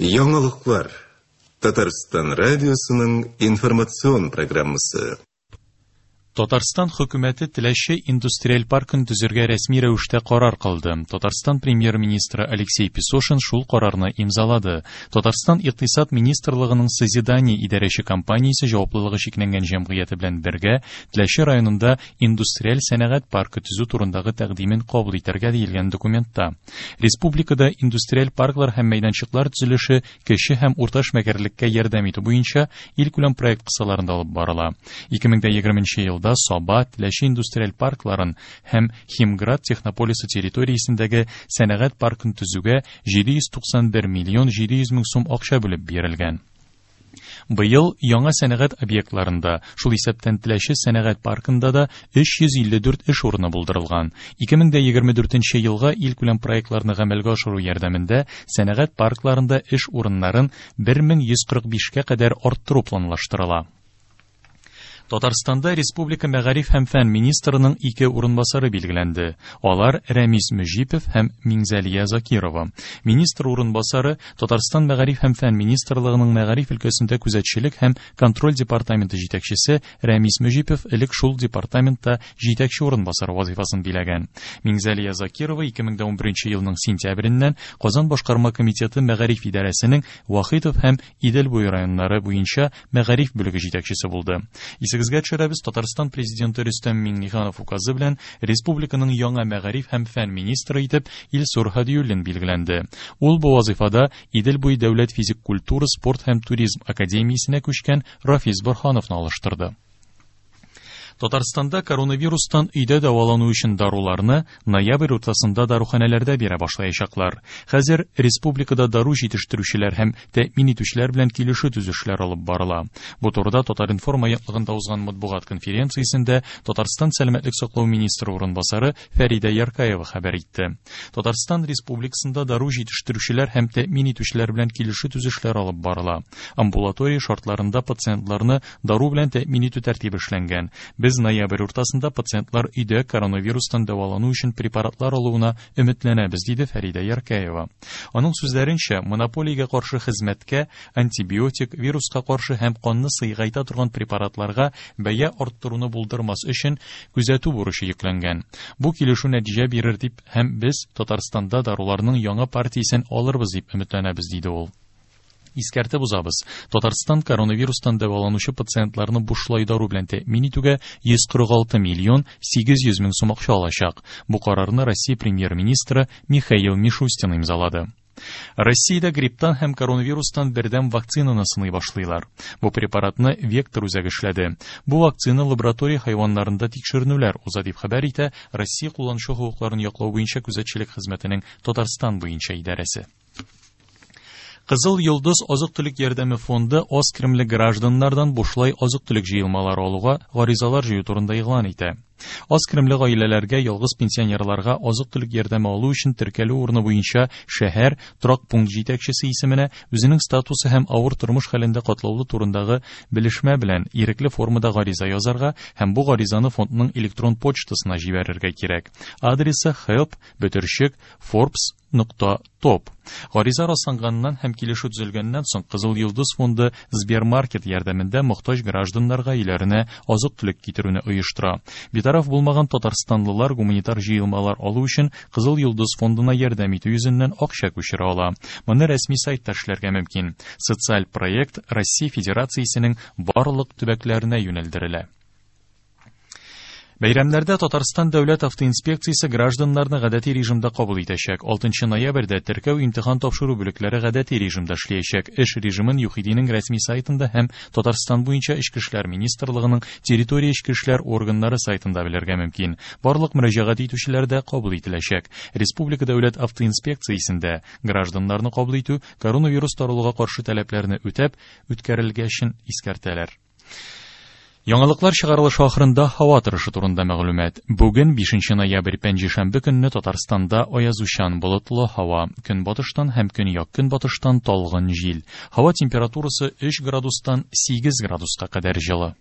Яңалыклар. Татарстан радиосының информацион программасы. Татарстан хөкүмәте Теләче индустриаль паркын төзергә рәсми рәвештә карар кылды. Татарстан премьер-министры Алексей Песошин шул карарны имзалады. Татарстан Икътисад министрлыгының Созидание идарәче компаниясе җаваплылыгы чикләнгән җәмгыяте белән бергә Теләче районында индустриаль сәнәгать паркы төзү турындагы тәкъдимен кабул итәргә диелгән документта. Республикада индустриаль парклар һәм мәйданчыклар төзелеше кече һәм урта эшмәкәрлеккә ярдәм итү буенча илкүләм проект кысаларында алып барыла. 2020 елда Саба, Теләче индустриаль паркларын һәм Химград технополисы территориясендәге сәнәгать паркын төзүгә 791 миллион 700 мең сум акча бүлеп бирелгән. Быел яңа сәнәгать объектларында, шул исәптән Теләче сәнәгать паркында да 354 эш урыны булдырылган. 2024 елга илкүләм проектларны гамәлгә ашыру ярдәмендә сәнәгать паркларында эш урыннарын 1145-кә кадәр арттыру планлаштырыла. Татарстанда республика мәгариф һәм фән министрының ике урынбасары билгеләнде. Алар Рәмис Мөҗипов һәм Миңзәлия Закирова. Министр урынбасары Татарстан мәгариф һәм фән министрлыгының мәгариф өлкәсендә күзәтчелек һәм контроль департаменты җитәкчесе Рәмис Мөҗипов элек шул департаментта җитәкче урынбасары вазифасын биләгән. Миңзәлия Закирова 2011 елның сентябреннән Казан башкарма комитеты мәгариф идарәсенең Вахитов һәм Идел буе районнары буенча мәгариф бүлеге җитәкчесе булды. Исегезгә төшерәбез, Татарстан президенты Рөстәм Миңнеханов указы белән республиканың яңа мәгариф һәм фән министры итеп Илсур Һадиуллин билгеләнде. Ул бу вазыйфада Идел буе дәүләт физик культура, спорт һәм туризм академиясенә күчкән Рафис Борһановны алыштырды. Татарстанда коронавирустан өйдә дәвалану өчен даруларны ноябрь уртасында даруханәләрдә бирә башлаячаклар. Хәзер республикада дару җитештерүчеләр һәм тәэмин итүчеләр белән килешү төзешләр алып барыла. Бу турыда Татар-информ агентлыгында узган матбугат конференциясендә Татарстан сәламәтлек саклау министры урынбасары Фәридә Яркаева хәбәр итте. Татарстан Республикасында дару җитештерүчеләр һәм тәэмин итүчеләр белән килешү төзешләр алып барыла. Амбулатория шартларында пациентларны Дару белән тәэмин итү тәртибе эшләнгән. Без ноябрь уртасында пациентлар өйдә коронавирустан дәвалану өчен препаратлар алуына өметләнәбез, диде Фәридә Яркәева. Аның сүзләренчә, монополиягә каршы хезмәткә антибиотик, вируска каршы һәм канны сыегайта торган препаратларга бәя арттыруны булдырмас өчен күзәтү бурычы йөкләнгән. Бу килешү нәтиҗә бирер дип һәм без Татарстанда даруларның яңа партиясен алырбыз дип өметләнәбез, диде ул. Искәртеп узабыз, Татарстан коронавирустан дәваланучы пациентларны бушлай дару белән тәэмин итүгә 146 миллион 800 мең сум акча алачак. Бу карарны Россия премьер-министры Михаил Мишустин имзалады. Россиядә грипптан һәм коронавирустан бердәм вакцинаны сыный башлыйлар. Бу препаратны Вектор үзәге эшләде. Бу вакцина лаборатория хайваннарында тикшеренүләр уза дип хәбәр итә Россия кулланучы хокукларын яклау буенча күзәтчелек хезмәтенең Татарстан буенча идарәсе. Кызыл йолдыз азык-төлек ярдәме фонды аз керемле гражданнардан бушлай азык-төлек җыелмалары алуга гаризалар җыю турында игълан итә. Аз керемле гаиләләргә, ялгыз пенсионерларга азык-төлек ярдәме алу өчен теркәлү урыны буенча шәһәр, торак пункт җитәкчесе исеменә үзенең статусы һәм авыр тормыш хәлендә катлаулы турындагы белешмә белән ирекле формада гариза язарга һәм бу гаризаны фондның электрон почтасына җибәрергә кирәк. Адресы help бөтерчек Forbes нокта топ. Гариза расланганнан һәм килешү төзелгәннән соң Кызыл Йолдыз фонды Сбермаркет ярдәмендә мохтаҗ гражданнарга өйләренә азык-төлек китерүне оештыра. Битараф булмаган татарстанлылар гуманитар җыелмалар алу өчен Кызыл Йолдыз фондына ярдәм итү йөзеннән акча күчерә ала. Моны рәсми сайтта эшләргә мөмкин. Социаль проект Россия Федерациясенең барлык төбәкләренә юнәлдерелә. Бәйрәмнәрдә Татарстан дәүләт автоинспекциясе гражданнарны гадәти режимда кабул итәчәк. 6 ноябрьдә теркәү имтихан тапшыру бүлекләре гадәти режимда эшләячәк. Эш режимын ЮХИДИнең рәсми сайтында һәм Татарстан буенча Эчке эшләр министрлыгының территория эчке эшләр органнары сайтында белергә мөмкин. Барлык мөрәҗәгать итүчеләр дә кабул ителәчәк. Республика дәүләт автоинспекциясендә гражданнарны кабул итү коронавирус таралуга каршы таләпләрне үтәп үткәрелгәчен искәртәләр. Яңалыклар чыгарылышы ахырында һава торышы турында мәгълүмат. Бүген 5 ноябрь пәнҗешәмбе көнне Татарстанда аязучан болытлы һава, көнбатыштан һәм көньяк-көнбатыштан талгын җил. Һава температурасы 3 градустан 8 градуска кадәр җылы.